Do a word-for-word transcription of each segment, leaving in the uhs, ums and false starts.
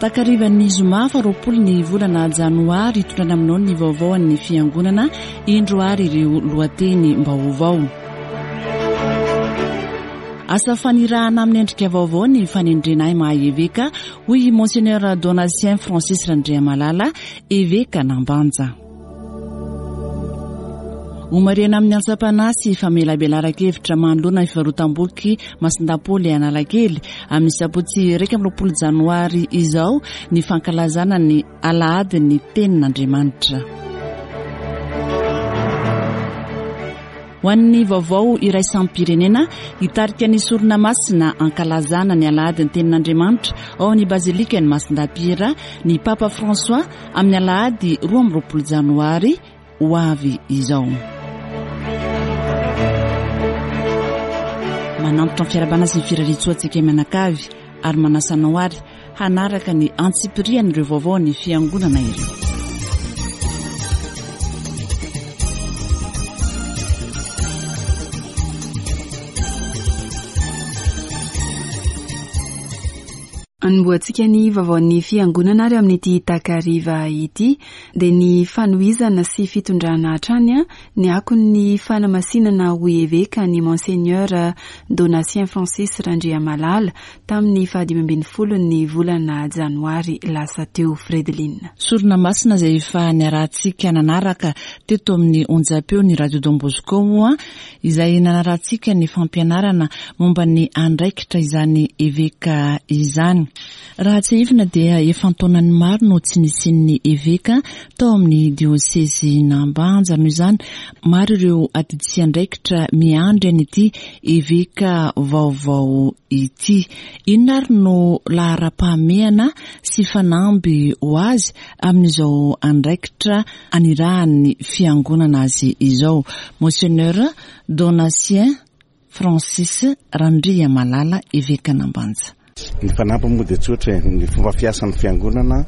Takarivan'ny zoma faharoapolo ny volana janoary, hitondrana aminao ny vaovao an'ny fiangonana. Indro ary ireo lohateny vaovao. Asa fanirahana amin'ny endrika vaovao ny fanendrena ahy maha eveka, hoy Monseigneur Donatien Francis Randriamalala, eveka Nambanja. Homarihana amin'ny antsam-panahy sy famelabelaran-kevitra manoloana ny fivarotam-boky Masindahy Paoly Analakely amin'ny sabotsy iraika amby roapolo janoary izao ny fankalazana ny alahady ny tenin'Andriamanitra. Ho an'ny vaovao iraisam-pirenena, hitarika ny sorona masina ankalazana ny alahady ny tenin'Andriamanitra ao amin'ny bazilika ny Masindahy Piera ny Papa François amin'ny alahady roa amby roapolo janoary ho avy izao. Manampitra ny fiarahabana sy ny firariantsoantsika mianakavy ary manasa anao ary hanaraka ny antsipirian'ireo vaovao ny fiangonana ireo. Anombohantsika ny vaovaon'ny fiangonana ary amin'ity takariva ity dia ny fanohizana sy fitondrana hatrany ny akon'ny fanamasinana ho eveka ny Monseigneur Donatien Francis Randriamalala tamin'ny fahadimy ambin'ny folo ny volana janoary lasa teo. Fredeline. Sorona masina izay efa niarahantsika nanaraka teto amin'ny onjam-peo ny Radio Don Bosco moa, izay nanarahantsika ny fampianarana momba ny andraikitra izany eveka izany. Raha tsiahivina dia efa an-taonany maro no tsy nisian'ny eveka tao amin'ny diosezy Nambanja. Noho izany, maro ireo adidy sy andraikitra miandry an'ity eveka vaovao ity. Inona ary no laharam-pahamehana sy fanamby ho azy amin'izao andraikitra anirahan'ny fiangonana azy izao? Monseigneur Donatien Francis Randriamalala, eveka Nambanja. Ny fanampy moa dia tsotra, ny fomba fiasan'ny fiangonana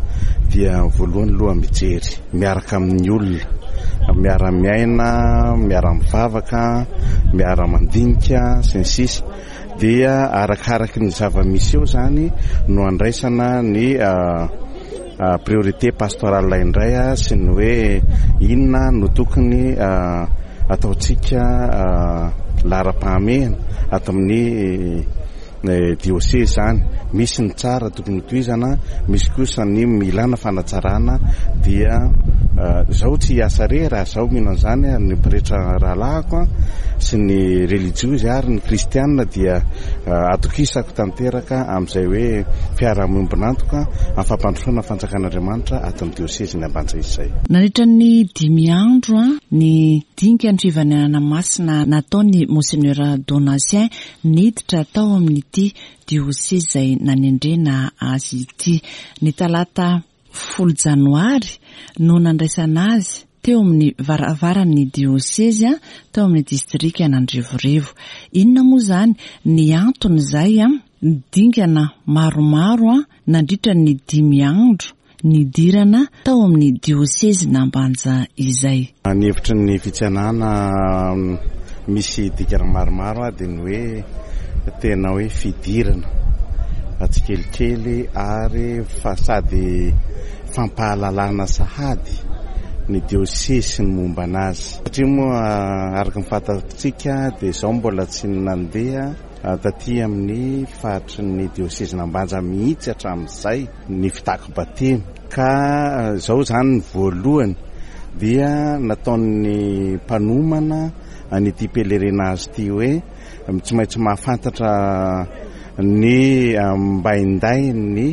dia voalohany aloha mijery miaraka amin'ny olona, miara-miaina, miara-mivavaka, miara-mandinika sy ny sisa. Dia arakaraky ny zava-misy eo zany no andraisana ny priorité pastorale indray sy ny hoe inona no tokony ataontsika laharam-pahamehana ato amin'ny diosezy zany. Misy ny tsara tokony hotohizana, misy kosa ny milana fanatsarana. Dia zaho tsy hiasa rery raha zaho mino an'izany, ny pretra rahalahiko sy ny relijiozy ary ny kristianina dia atokisako tanteraka amin'izay hoe fiaraha-miombon'antoka amin'ny fampandrosoana fanjakan'Andriamanitra ato amin'ny diosezy ny Ambanja izay. Nandritra ny dimy andro ny dinika ny fivanenana masina nataony Monseigneur Donatien niditra tao amin'ity diosezy izay nanendrena azy ity. Ny talata folo janoary no nandraisana azy teo amin'ny varavaran'ny diosezy tao amin'ny distrika Nandrevorevo. Inona moa izany ny antony izay dingana maromaro nandritra ny dimy andro nidirana tao amin'ny diosezy Nambanja izay? Ny hevitry ny fitsenana misy dikany maromaro dia ny hoe tena hoe fidirana tsikelikely ary fa sady fampahalalana sahady ny diosezy sy ny momba anazy. Satria moa araka ny fantatsika dia izao mbola tsy nandeha taty amin'ny faritry ny diosezy Nambanja mihitsy hatramin'izay ny fitako batemy. Ka izao zany ny voalohany dia nataon'ny mpanomana an'ity pèlerinage ity hoe tsy maintsy mahafantatra ny mbainday ny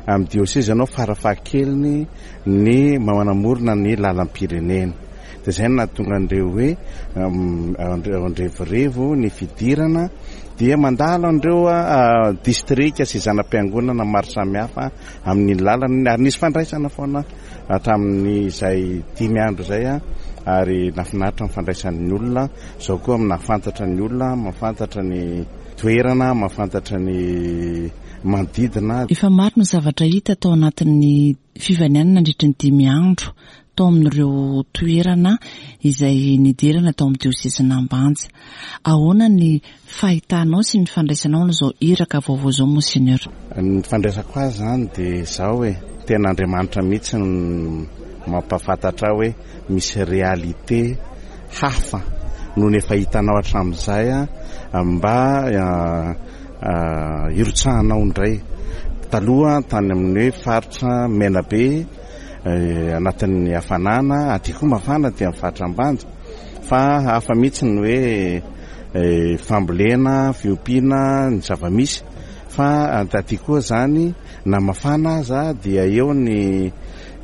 amin'ny diosezy ianao farafahakeliny ny manamorona ny lalam-pirenena. Dia izay no nahatonga an'ireo hoe andrevorevo ny fidirana dia mandalo an'ireo distrika sy zana-piangonana maro samihafa amin'ny lalana, ary nisy fandraisana foana hatramin'izay dimy andro izay, ary nahafinaritra ny fandraisan'ny olona. Izao koa nahafantatra ny olona, mahafantatra ny toerana, mahafantatra ny manodidina. Efa maro ny zavatra hita tao anatin'ny fivanianana nandritra ny dimy andro tao amin'ireo toerana izay nidirana tao amin'ny diosezin'Ambanja. Ahoana ny fahitanao sy ny fandraisanao an'izao iraka vaovao izao, Monseigneur? Ny fandraisako azy zany dia izao hoe tena Andriamanitra mihitsy no mampahafantatra ahy hoe misy réalité hafa noho ny efa hitanao hatramin'izay a mba hirotsahanao indray. Taloha tany amin'ny hoe faritra Menabe anatin'ny hafanana, aty koa mafana aty amin'ny faritra Ambanja, fa hafa mihitsy ny hoe fambolena, fiompiana, ny zava-misy, fa aty koa zany na mafana aza dia eo ny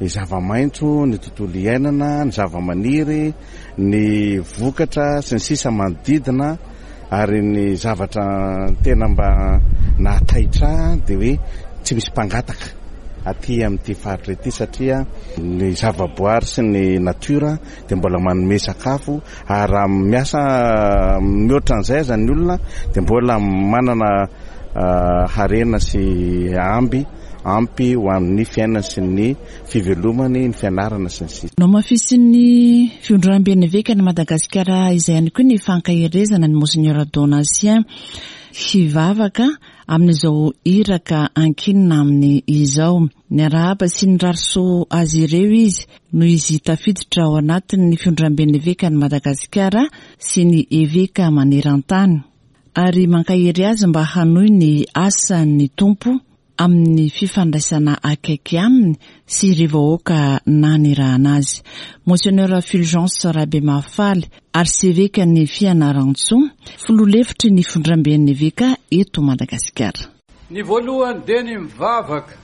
zava-maitso, ny tontolo iainana, ny zava-maniry, ny vokatra sy ny sisa manodidina. Ary ny zavatra tena mba nahataitra dia hoe tsy misy mpangataka aty amin'ity faritra ity, satria ny zavaboary sy ny natiora dia mbola manome sakafo, ary raha miasa mihoatra an'izay aza ny olona dia mbola manana harena sy amby ampy ho amin'ny fiainana sy ny fivelomany, ny fianarana sy ny sisa. Nohamafisin'ny fiondramben'ny evekan'i Madagasikara izay ihany koa ny fankaherezana ny Monseigneur Donatien hivavaka amin'izao iraka ankinina aminy izao. Niarahaba sy nirary soa azy ireo izy noho izy tafiditra ao anatin'ny fiondramben'ny evekan'i Madagasikara sy ny eveka maneran-tany, ary mankahery azy mba hanohy ny asan'ny Tompo amin'ny fifandraisana akaiky aminy sy ireo vahoaka nanirahana azy. Monseigneur Fulgence Rabemahafaly, arsevekan'ny Fianarantsoa, filoha lefitry ny fiondramben'ny eveka eto Madagasikara. Ny voalohany dia ny mivavaka,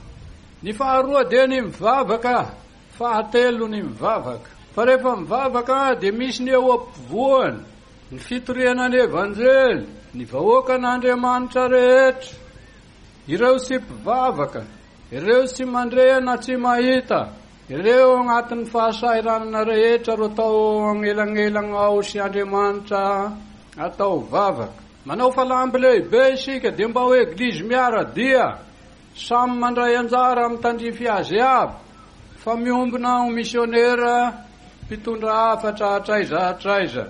ny faharoa dia ny mivavaka, fahatelo ny mivavaka. Fa rehefa mivavaka dia misy ny eo ampovoany, ny fitoriana ny evanjely, ny vahoakan'Andriamanitra rehetra. Ireo sy mpivavaka, ireo sy mandre na tsy mahita, ireo agnatin'ny fahasahiranana rehetra ro atao anelanelana ao sy Andriamanitra atao vavaka. Manao falamby lehibe isika dia mba ho eglizy miara-dia, samy mandray anjara amin'ny tandrify azy aby, fa miombona ho misionera mpitondra hafatra hatraiza hatraiza.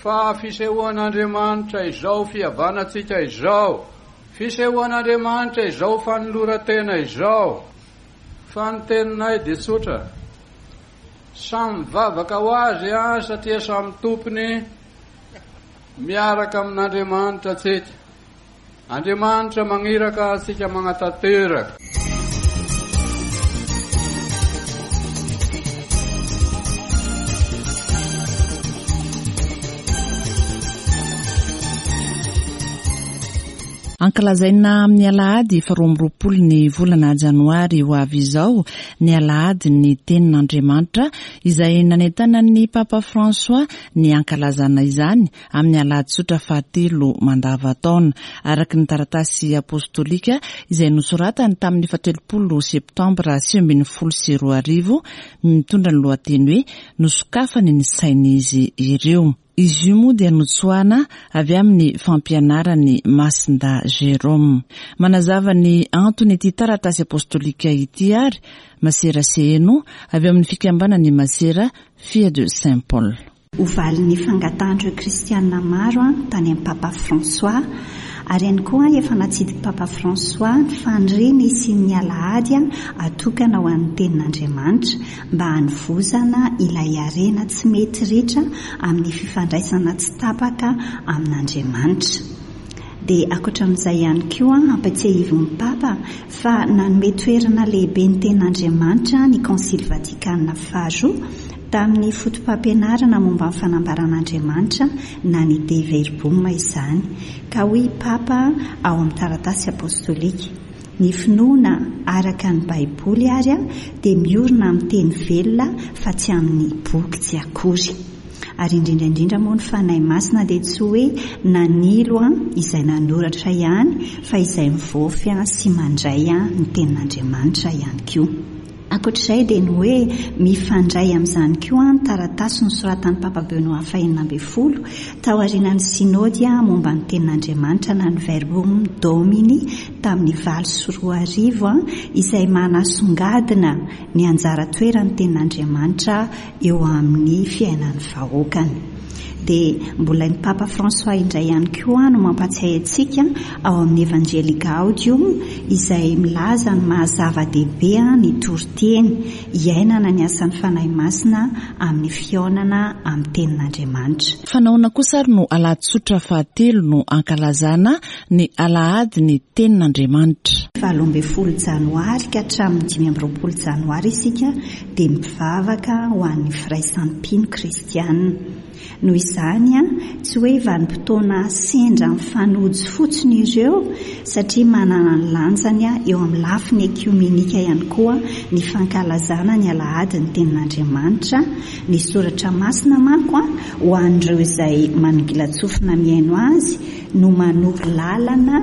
Fa fisehoan'Andriamanitra izao fihavanantsika izao, fisehoan'Andriamanitra izao fanoloran-tena izao. Fa ny teninay dia tsotra, samy mivavaka ho azy a, satria samy tompony miaraka amin'Andriamanitra tsika. Andriamanitra magniraka antsika magnatanteraka. Ankalazaina amin'ny alahady faharoa amby roapolo ny volana janoary ho avy izao ny alahady ny tenin'Andriamanitra izay nanentanan'ny Papa François ny ankalazana izany amin'ny alahady tsotra fahatelo mandavataona, araka ny taratasy apostolika izay nosoratany tamin'ny fahatelopolo septambra sivy ambin'ny folo sy roa arivo, mitondra ny lohateny hoe nosokafany ny sain'izy ireo. Izy io moa dia notsoahana avy amin'ny fampianarany Masinda Jérôme. Manazava ny antony ity taratasy apostolika ity ary Masera Seheno avy amin'ny fikambanan'ny Masera Fille de Saint Paul. Ho valin'ny fangatahan'ireo kristianina maro tany amin'ny Papa François, ary ihany koa efa natsidik'i Papa François ny faniriany hisian'ny alahady atokana ho an'ny tenin'Andriamanitra mba hanovozana ilay harena tsy mety ritra amin'ny fifandraisana tsy tapaka amin'Andriamanitra. Dia ankoatra amin'izay ihany koa ampatsiahivin'ny Papa fa nanome toerana lehibe ny tenin'Andriamanitra ny Konsily Vatikana faharoa tamin'ny foto-pampianarana momba ny fanambaran'Andriamanitra na ny Dei Verbum izany, ka hoy Papa ao amin'ny taratasy apostolika: ny finoana araka ny Baiboly ary dia miorina amin'ny teny velona fa tsy amin'ny boky tsy akory. Ary indrindra indrindra moa ny Fanahy Masina dia tsy hoe nanilo izay nanoratra ihany fa izay mivoafy sy mandray ny tenin'Andriamanitra ihany koa. Ankoatr'izay dia ny hoe mifandray amin'izany koa ny taratasy nosoratan'ny Papa Benoît fahenina ambin'ny folo taorian'ny sinody momba ny tenin'Andriamanitra na ny Verbum Domini tamin'ny valo sy roa arivo, izay manasongadina ny anjara toeran'ny tenin'Andriamanitra eo amin'ny fiainan'ny vahoakany. Dia mbola ny Papa François indray ihany koa no mampatsiahy antsika ao amin'ny Evangelii Gaudium, izay milaza ny maha-zava-dehibe ny toriteny iainana ny asan'ny Fanahy Masina amin'ny fihaonana amin'ny tenin'Andriamanitra. Fa nahoana kosa ary no alahady tsotra fahatelo no ankalazana ny alahady ny tenin'Andriamanitra? Valo ambin'ny folo janoary ka hatramin'ny dimy amby roapolo janoary isika dia mivavaka ho an'ny firaisampino kristianina. Noho izany, tsy hoe vanim-potoana sendra mifanojo fotsiny ireo, satria manana ny lanjany eo amin'ny lafiny ekiomenika ihany koa ny fankalazana ny alahady ny tenin'Andriamanitra. Ny soratra masina manko ho an'ireo izay manongilan-tsofina mihaino azy no manoro lalana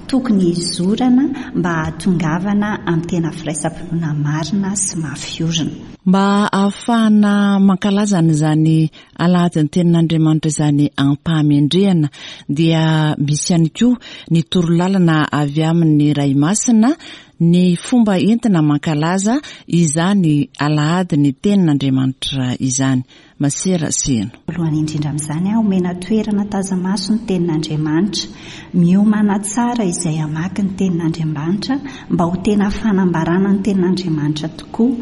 tokony hizorana mba hahatongavana amin'ny tena firaisam-pinoana marina sy mafy orina. Mba ahafahana mankalaza an'izany alahady ny tenin'Andriamanitra izany ampahamendrehana dia misy ihany koa ny torolalana avy amin'ny Ray Masina ny fomba entina mankalaza izany alahady ny tenin'Andriamanitra izany. Masera Seno. Voalohany indrindra amin'izany, omena toerana taza-maso ny tenin'Andriamanitra. Miomana tsara izay hamaky ny tenin'Andriamanitra mba ho tena fanambarana ny tenin'Andriamanitra tokoa.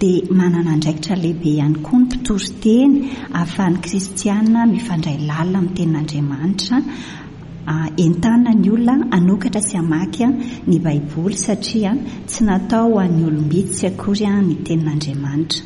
Dia manana andraikitra lehibe ihany koa ny mpitory teny ahafahan'ny kristiana mifandray lalina amin'ny tenin'Andriamanitra. Entanina ny olona hanokatra sy hamaky ny Baiboly satria tsy natao ho an'ny olom-bitsy akory ny tenin'Andriamanitra.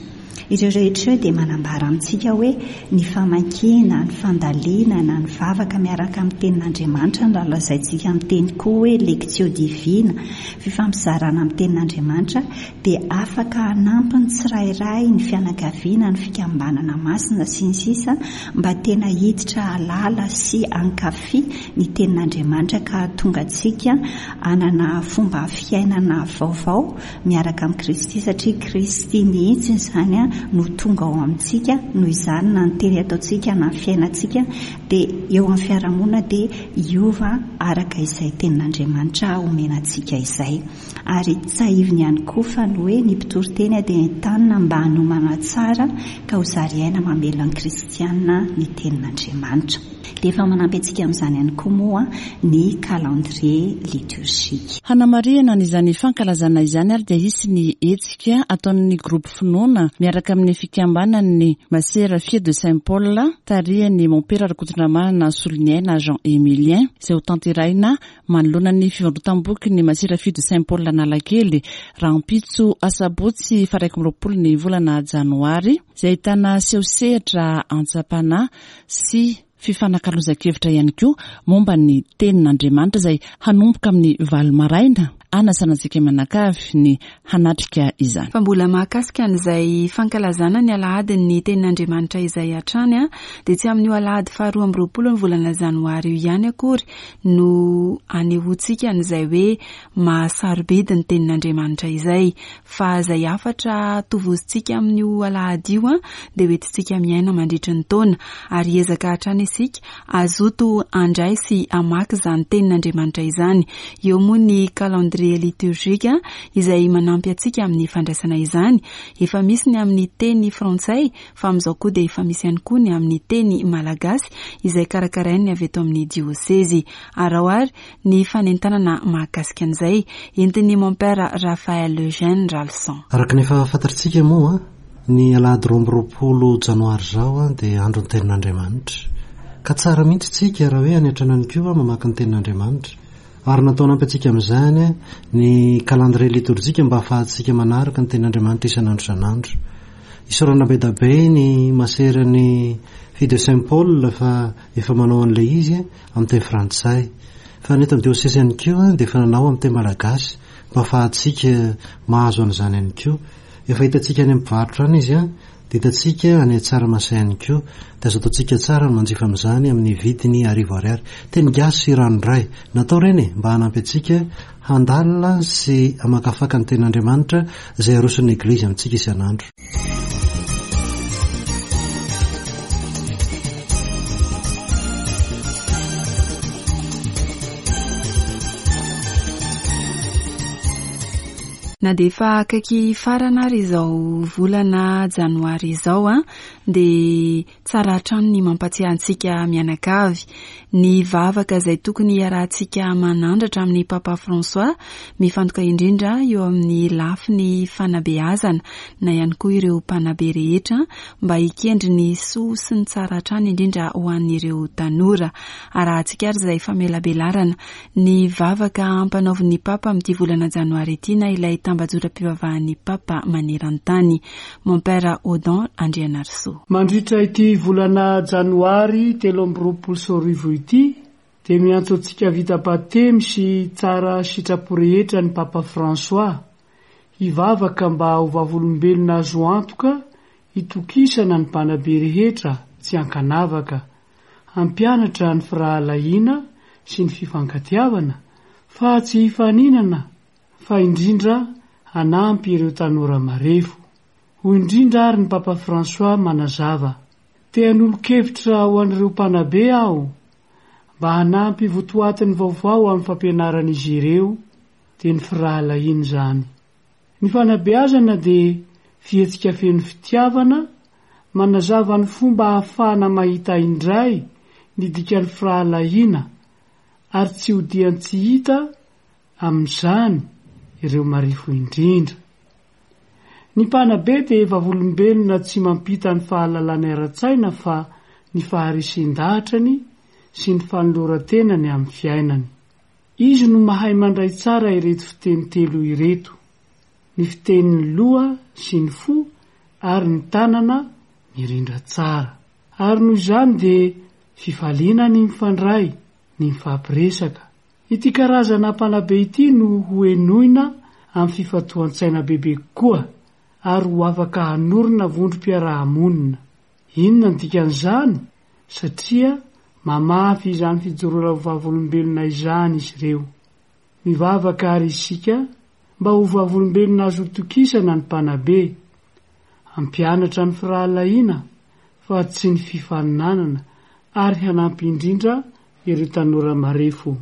Ireo rehetra ireo dia manambara amintsika hoe ny famakiana, ny fandalinana, ny vavaka miaraka amin'ny tenin'Andriamanitra no lazaintsika amin'ny teny koa hoe lectio divina, fifampizarana amin'ny tenin'Andriamanitra dia afaka hanampy ny tsirairay, ny fianakaviana, ny fikambanana masina sy ny sisa mba tena hiditra hahalala sy hankafy ny tenin'Andriamanitra ka hahatonga antsika hanana fomba fiainana vaovao miaraka amin'i Kristy, satria Kristy mihitsy izany no tonga ao amintsika. Noho izany na ny teny ataontsika na ny fiainantsika dia eo amin'ny fiarahamonina dia hiova araka izay tenin'Andriamanitra omena antsika izay. Ary tsahiviny ihany koa fa ny hoe ny mpitory teny dia entanina mba hanomana tsara ka ho zary aina mamelona ny kristianina ny tenin'Andriamanitra. Dia efa manampy antsika amin'izany ihany koa moa ny calendrier liturgique. Hanamarihana an'izany fankalazana izany ary dia hisy ny hetsika ataon'ny groupe Finoana miaraka amin'ny fikambanan'ny Masera Fille de Saint Paul tarihan'ny Mompera Rakotondramanana Soloniaina Jean Emilien, izay ho tanterahina manoloana ny fivarotam-boky ny Masera Fille de Saint Paul Analakely rahampitso asabotsy faha iraika amby roapolo ny volana janoary, izay ahitana seho-sehatra antsam-panahy sy fifanakalozan-kevitra ihany koa momba ny tenin'Andriamanitra izay hanomboka amin'ny valo maraina. Anasana antsika mianakavy ny hanatrika izany. Fa mbola mahakasika an'izay fankalazana ny alahady ny tenin'Andriamanitra izay hatrany, a dia tsy amin'io alahady faharoa amby roapolo ny volana janoary io ihany akory no anehoantsika an'izay hoe mahasarobidy ny tenin'Andriamanitra izay, fa izay hafatra tovozintsika amin'io alahady io a dia hoentintsika miaina mandritra ny taona, ary ezaka hatrany isika azoto handray sy hamaky izany tenin'Andriamanitra izany. Eo moa ny calendrier liturgique izay manampy antsika amin'ny fandraisana izany. Efa misy ny amin'ny teny frantsay, fa amin'izao koa dia efa misy ihany koa ny amin'ny teny malagasy izay karakarain'ny avy eto amin'ny diosezy. Araho ary ny fanentanana mahakasika an'izay entin'ny Mompera Raphaël Eugène Ralson. Araka ny efa fantatsika moa, ny alahady roa amby roapolo janoary izao dia andron'ny tenin'Andriamanitra. Ka tsara mihitsy tsika raha hoe any an-trano ihany koa mamaky ny tenin'Andriamanitra. Ary natao hanampy antsika amin'izany ny calendrier liturgique mba ahafahantsika manaraka ny tenin'Andriamanitra isan'andro isan'andro. Isaorana be dia be ny maseran'ny Fille de Saint Paul fa efa manao an'ilay izy amin'ny teny frantsay. Fa ny eto amin'ny diosesy ihany koa dia efa nanao amin'ny teny malagasy mba ahafahantsika mahazo an'izany ihany koa. Efa hitantsika any amin'ny mpivarotra any izy, Dia hitantsika any Tsaramasay ihany koa. Dia azo ataontsika tsara ny manjifa amin'izany amin'ny vidiny arivo ariary. Teny gasy ranoray. Natao ireny e, mba hanampy antsika handalina sy hamakafaka ny tenin'Andriamanitra izay aroson'ny Eglizy amintsika isan'andro. Na dia efa akaiky farana ary izao volana janoary izao a, dia tsara hatrany ny mampatsiahy antsika mianakavy ny vavaka izay tokony hiarahantsika manandratra amin'ny Papa François, mifantoka indrindra eo amin'ny lafiny fanabeazana na ihany koa ireo mpanabe rehetra mba hikendry ny soa sy ny tsara hatrany indrindra ho an'ireo tanora. Arahantsika ary izay famelabelarana ny vavaka ampanaovin'ny Papa amin'ity volana janoary ity na ilay tambajotram-pivavahan'ny Papa maneran-tany. Mon Père Odon Andrianarisoa. Mandritra ity volana janoary telo amby roapolo sy roa arivo ity dia miantso antsika vita batemy sy tsara sitrapo rehetra ny Papa François hivavaka mba ho vavolombelona azo antoka hitokisana ny mpanabe rehetra tsy ankanavaka, hampianatra ny firahalahiana sy ny fifankatiavana fa tsy hifaninana fa indrindra hanampy ireo tanora marefo. Hoy indrindra ary ny Papa François manazava: te hanolo-kevitra ho an'ireo mpanabe aho mba hanampy votoatiny vaovao amin'ny fampianaran'izy ireo, dia ny firahalahiana izany. Ny fanabeazana dia fihetsika feno fitiavana, manazava ny fomba ahafahana mahita indray ny dikan'ny firahalahiana ary tsy hodian-tsy hita amin'izany ireo marefo indrindra. Ny mpanabe dia vavolombelona tsy mampita ny fahalalana ara-tsaina fa ny faharesen-dahatrany sy ny fanoloran-tenany amin'ny fiainany. Izy no mahay mandray tsara ireto fiteny telo ireto: ny fitenin'ny loha sy ny fo ary ny tanana mirindra tsara. Ary noho izany dia fifaliana ny mifandray, ny mifampiresaka. Ity karazana mpanabe ity no ho henoina amin'ny fifantohan-tsaina bebe kokoa ary ho afaka hanorina vondrom-piarahamonina. Inona ny dikan'izany? Satria mamafy izany fijoroana ho vavolombelona izany izy ireo. Mivavaka ary isika mba ho vavolombelona azo tokisana ny mpanabe, hampianatra ny firahalahiana fa tsy ny fifaninanana ary hanampy indrindra ireo tanora marefo.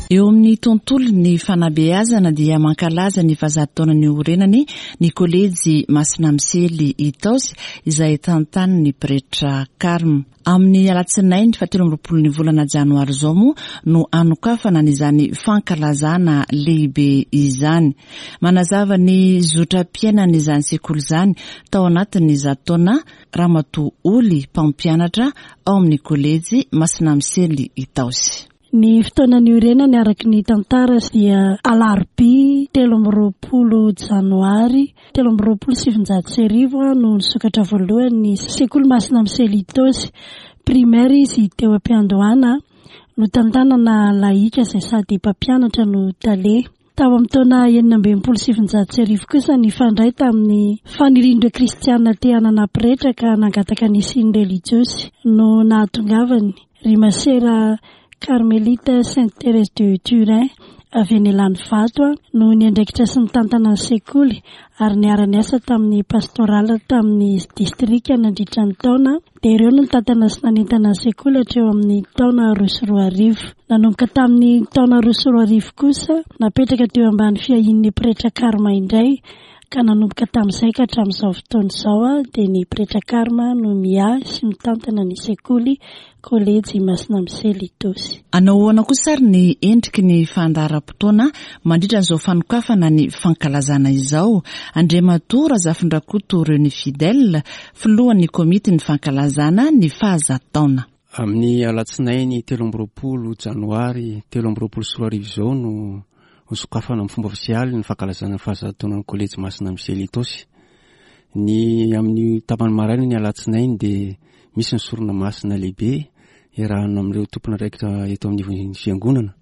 Eo amin'ny tontolon'ny fanabeazana dia mankalaza ny fahazato taona niorenany ny kolejy Masina Misely Itaosy izay tantanin'ny pretra Carme. Amin'ny alatsinainy fahatelo amby roapolo ny volana janoary izao moa no anokafana an'izany fankalazana lehibe izany. Manazava ny zotram-piainan'izany sekoly izany tao anatin'ny zato taona Ramatoa Oly, mpampianatra ao amin'ny kolejy Masina Misely Itaosy. Ny fotoana niorenany araka ny tantara dia alarobia telo amby roapolo janoary telo amby roapolo sivinjato sy arivo no nisokatra voalohany ny sekoly Masina Misely Itaosy. Primaire izy teo am-piandohana, notantanana lahika izay sady mpampianatra no tale. Tao amin'ny taona enina amby enimpolo sivinjato sy arivo kosa nifandray tamin'ny fanirian'ireo kristiana te hanana pretra ka nangataka ny hisian'ny relijiosy no nahatongavany ry masera Carmelite Sainte Thérèse de Turin avy any Ilanivato no niandraikitra sy nitantana ny sekoly ary niara-niasa tamin'ny pastorala tamin'ny distrika nandritra ny taona. Dia ireo no nitantana sy nanentana ny sekoly hatreo amin'ny taona roa sy roa arivo. Nanomboka tamin'ny taona roa sy roa arivo kosa napetraka teo ambany fiahian'ny pretra Carme indray ka nanomboka tamin'izay ka hatramin'izao fotoana izao dia ny pretra Carme no miahy sy mitantana ny sekoly kolejy Masina Misely Itaosy. Anao ahoana kosa ary ny endriky ny fandaharam-potoana mandritra an'izao fanokafana ny fankalazana izao? Andriamatoa Razafindrakoto René Fidèle, filohan'ny komity ny fankalazana ny fahazato taona. Amin'ny alatsinainy telo amby roapolo janoary telo amby roapolo sy roa arivo izao no hosokafana amin'ny fomba ofisialy ny fankalazana ny fahazato taonan'ny kolejy Masina Misely Itaosy. Ny amin'ny tapany maraina ny alatsinainy dia misy ny sorona masina lehibe iarahana amin'ireo tompon'andraikitra eto amin'ny fiangonana.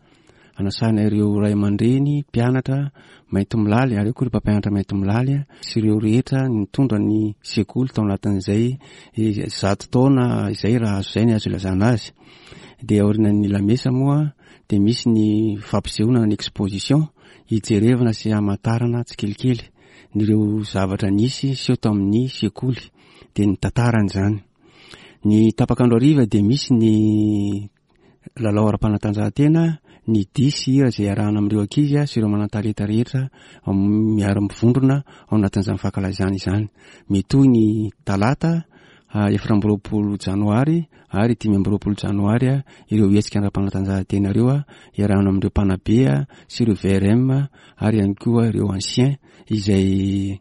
Anasana ireo ray aman-dreny, mpianatra maintimolaly ary koa ireo mpampianatra maintimolaly sy ireo rehetra nitondra ny sekoly tao anatin'izay zato taona izay raha azo izay ny azo ilazana azy. Dia aorian'ny lamesa moa dia misy ny fampisehoana ny exposition hijerevana sy hamantarana tsikelikely ireo zavatra nisy seho tamin'ny sekoly dia ny tantarany izany. Ny tapak'andro hariva dia misy ny lalao ara-panatanjahantena, ny dihy sy hira izay iarahana amin'ireo ankizy sy ireo manan-talenta rehetra miara-mivondrona ao anatin'izany fankalazana izany. Mitohy ny talata efatra amby roapolo janoary ary dimy amby roapolo janoary ireo hetsika ara-panatanjahantena ireo iarahana amin'ireo mpanabe sy ireo V R M ary ihany koa ireo anciens izay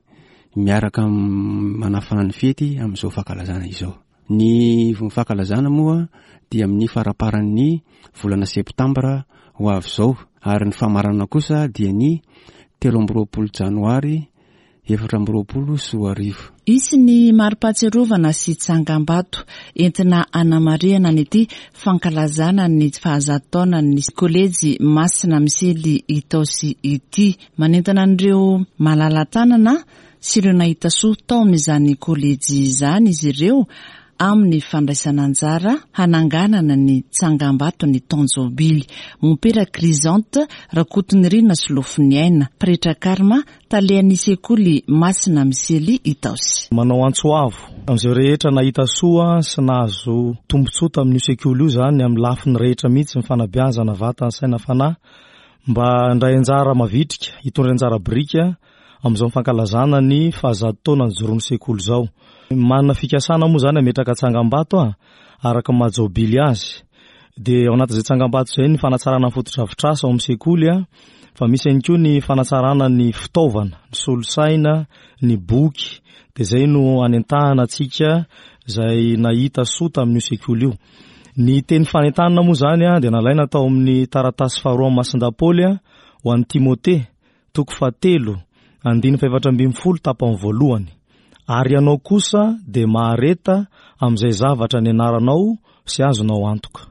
miaraka manafana ny fety amin'izao fankalazana izao. Ny fankalazana moa dia amin'ny faramparan'ny volana septambra ho avy izao ary ny famaranana kosa dia ny telo amby roapolo janoary efatra amby roapolo sy roa arivo. Hisy ny mari-pahatsiarovana sy tsangambato entina hanamarihana an'ity fankalazana ny fahazato taonan'ny kolejy Masina Misely Itaosy ity. Manentana an'ireo malala-tanana sy ireo nahita soa tao amin'izany kolejy izany izy ireo amin'ny fandraisana anjara hananganana ny tsangambato ny taon-jobily. Mompera Chrysanthe Rakotonirina Solofoniaina, pretra karma, talehan'ny sekoly Masina Misely Itaosy. Manao antso avo amin'izay rehetra nahita soa sy nahazo tombontsoa tamin'io sekoly io izany amin'ny lafiny rehetra mihitsy, ny fanabeazana vatana, saina, fanahy, mba handray anjara mavitrika, hitondra anjara biriky amin'izao fankalazana ny fahazato taona nijoroan'ny sekoly izao. Manana fikasana moa izany hametraka tsangambato a, araka ny maha-jobily azy. Dia ao anatin'izay tsangambato izay ny fanatsarana ny fotodrafitrasa ao amin'ny sekoly a, fa misy ihany koa ny fanatsarana ny fitaovana, ny solosaina, ny boky. Dia izay no anentahana antsika izay nahita soa tamin'io sekoly io. Ny teny fanentanana moa izany a, dia nalaina tao amin'ny taratasy faharoa amin'ny Masindahy-Paoly a, ho an'i Timote, toko fahatelo, andininy fahefatra ambin'ny folo tapany voalohany. Ary ianao kosa dia mahareta amin'izay zavatra nianaranao sy azonao antoka.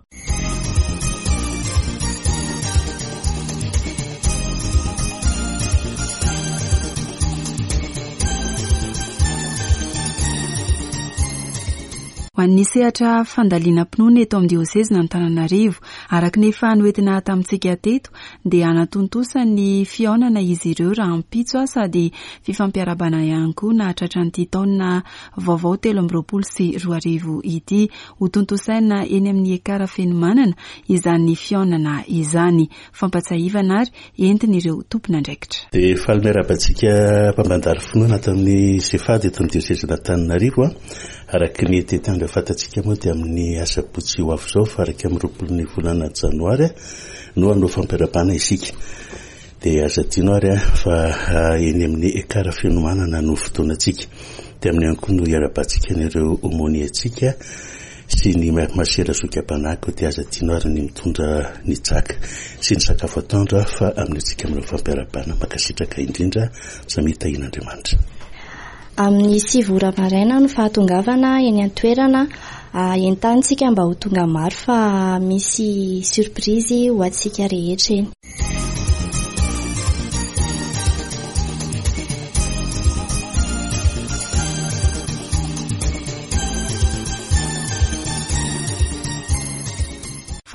Ho an'ny sehatra fandalinam-pinoana eto amin'ny diosezin'Antananarivo, araka ny efa noentina tamintsika teto, dia hanatontosa ny fihaonana izy ireo rahampitso sady fifampiarahabana ihany koa nahatratra an'ity taona vaovao telo amby roapolo sy roa arivo ity. Hotontosaina eny amin'ny Ekara Fenomanana izany fihaonana izany. Fampatsiahivana ary entin'ireo tompon'andraikitra. Dia faly miarahaba antsika mpampandalo finoana ato amin'ny Sefady eto amin'ny diosezin'Antananarivo. Araka ny tetiandro fantatsika moa dia amin'ny asabotsy ho avy izao fa iraika amby roapolo ny volana janoary no hanao fampiarahabana isika. Dia aza adino ary fa eny amin'ny Ekara Fenomanana no fotoanantsika. Dia amin'ny ihany koa no hiarahabantsika an'ireo aumônier-ntsika sy ny masera zoky am-panahy, koa dia aza adino ary ny mitondra ny jaka sy ny sakafo atoandro fa amin'ny antsika amin'ireo fampiarahabana. Mankasitraka indrindra, samia tahian'Andriamanitra. Amin'ny sivy ora maraina no fahatongavana eny an-toerana. Entantsika mba ho tonga maro fa misy surprise ho antsika rehetra eny.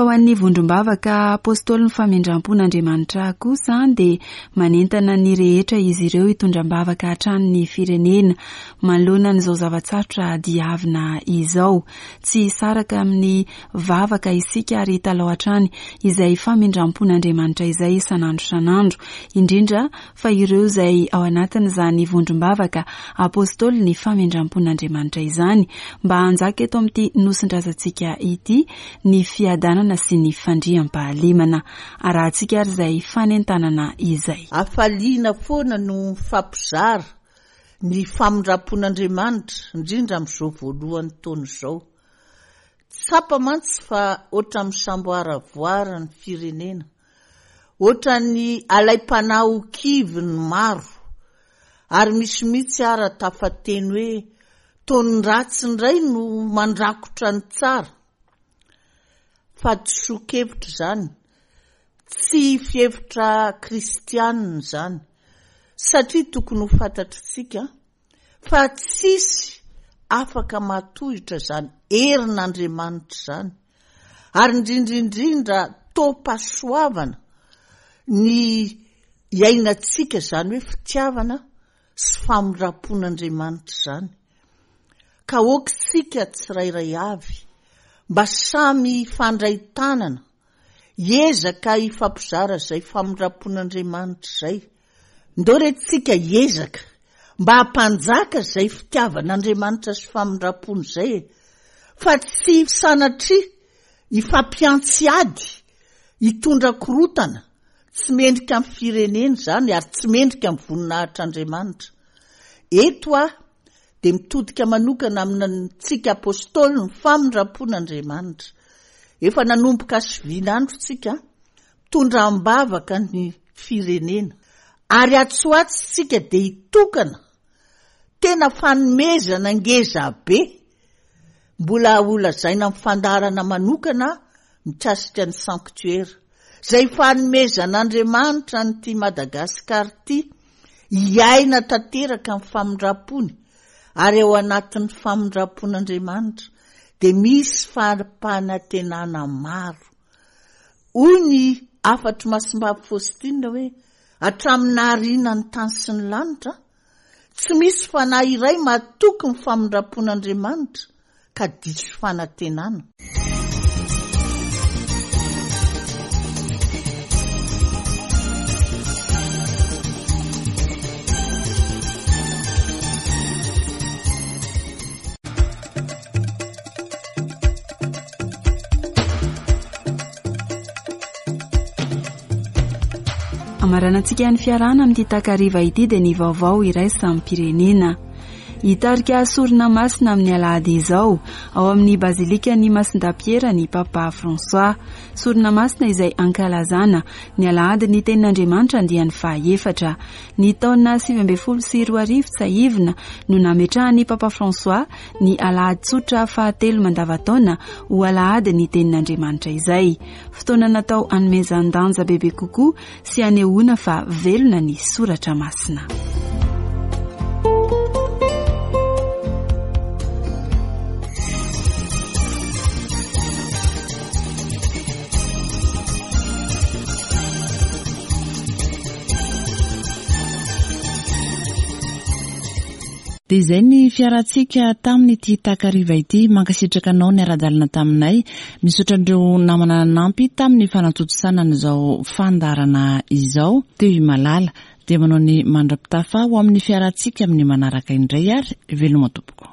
Fa ho an'ny vondrom-bavaka apôstôlin'ny famindram-pon'Andriamanitra kosa dia manentana ny rehetra izy ireo hitondram-bavaka hatrany ny firenena manoloana an'izao zava-tsarotra diavina izao. Tsy hisaraka amin'ny vavaka isika ary hitalao hatrany izay famindram-pon'Andriamanitra izay isan'andro isan'andro, indrindra fa ireo izay ao anatin'izany vondrom-bavaka apôstôlin'ny famindram-pon'Andriamanitra izany, mba hanjaka eto amin'ity nosindrazantsika ity ny fiadanana sy ny fandriampahalemana. Arahantsika ary izay fanentanana izay. Hafaliana foana no mifampizara ny famindram-pon'Andriamanitra, indrindra amin'izao voalohan'ny taona izao. Tsapa mantsy fa ohatran'ny misamboaravoara ny firenena, ohatran'ny alaim-panahy ho kivy ny maro, ary misy mihitsy ara tafateny hoe taon'ny ratsy indray no mandrakotra ny tsara. Fahadisoan-kevitra izany, tsy fihevitra kristianina izany, satria tokony ho fantatritsika fa tsisy afaka mahatohitra izany herin'Andriamanitra izany, ary indrindra indrindra taom-pahasoavana ny iainantsika izany hoe fitiavana sy famindram-pon'Andriamanitra izany. Ka aoka isika tsirairay avy mba samy hifandray tanana, hiezaka hifampizara izay famindram-pon'Andriamanitra izay. Ndao re tsika hiezaka mba hampanjaka izay fitiavan'Andriamanitra sy famindram-pony izay e! Fa tsy sanatria hifampiantsy ady, hitondra korotana, tsy mendrika amin'ny firenena izany ary tsy mendrika amin'ny voninahitr'Andriamanitra. Eto aho dia mitodika manokana amintsika apostoly ny famindram-pon'Andriamanitra. Efa nanomboka sivinandro tsika, mitondra am-bavaka ny firenena. Ary atsy ho atsy tsika dia hitokana tena fanomezana ngeza be mbola holazaina amin'ny fandaharana manokana mikasika ny sanctuaire. Izay fanomezan'Andriamanitra an'ity Madagasikara ity hiaina tanteraka ny famindram-pony, ary ao anatin'ny famindram-pon'Andriamanitra dia misy fampanantenana maro. Hoy ny hafatr'i Masimbavy Faustine hoe, hatramin'ny nahariana ny tany sy ny lanitra, tsy misy fanahy iray matoky ny famindram-pon'Andriamanitra ka diso fanantenana. Amaranantsika ny fiarahana amin'ity takariva ity dia ny vaovao iraisam-pirenena. Hitarika sorona masina amin'ny alahady izao ao amin'ny bazilikan'ny Masindahy-Piera ny Papa François. Sorona masina izay ankalazana ny alahady ny tenin'Andriamanitra andiany fahaefatra. Ny taona sivy ambin'ny folo sy roa arivo tsahivina no nametrahan'ny Papa François ny alahady tsotra fahatelo mandavataona ho alahady ny tenin'Andriamanitra izay. Fotoana natao hanomezan-danja bebe kokoa sy hanehoana fa velona ny soratra masina. Dia izay ny fiarantsika tamin'ity takariva ity. Mankasitraka anao niara-dalana taminay. Misaotra an'ireo namana nanampy tamin'ny fanatontosana an'izao fandaharana izao. Teo i Malala dia manao ny mandra-pitafa ho amin'ny fiarantsika amin'ny manaraka indray ary veloma tompoko.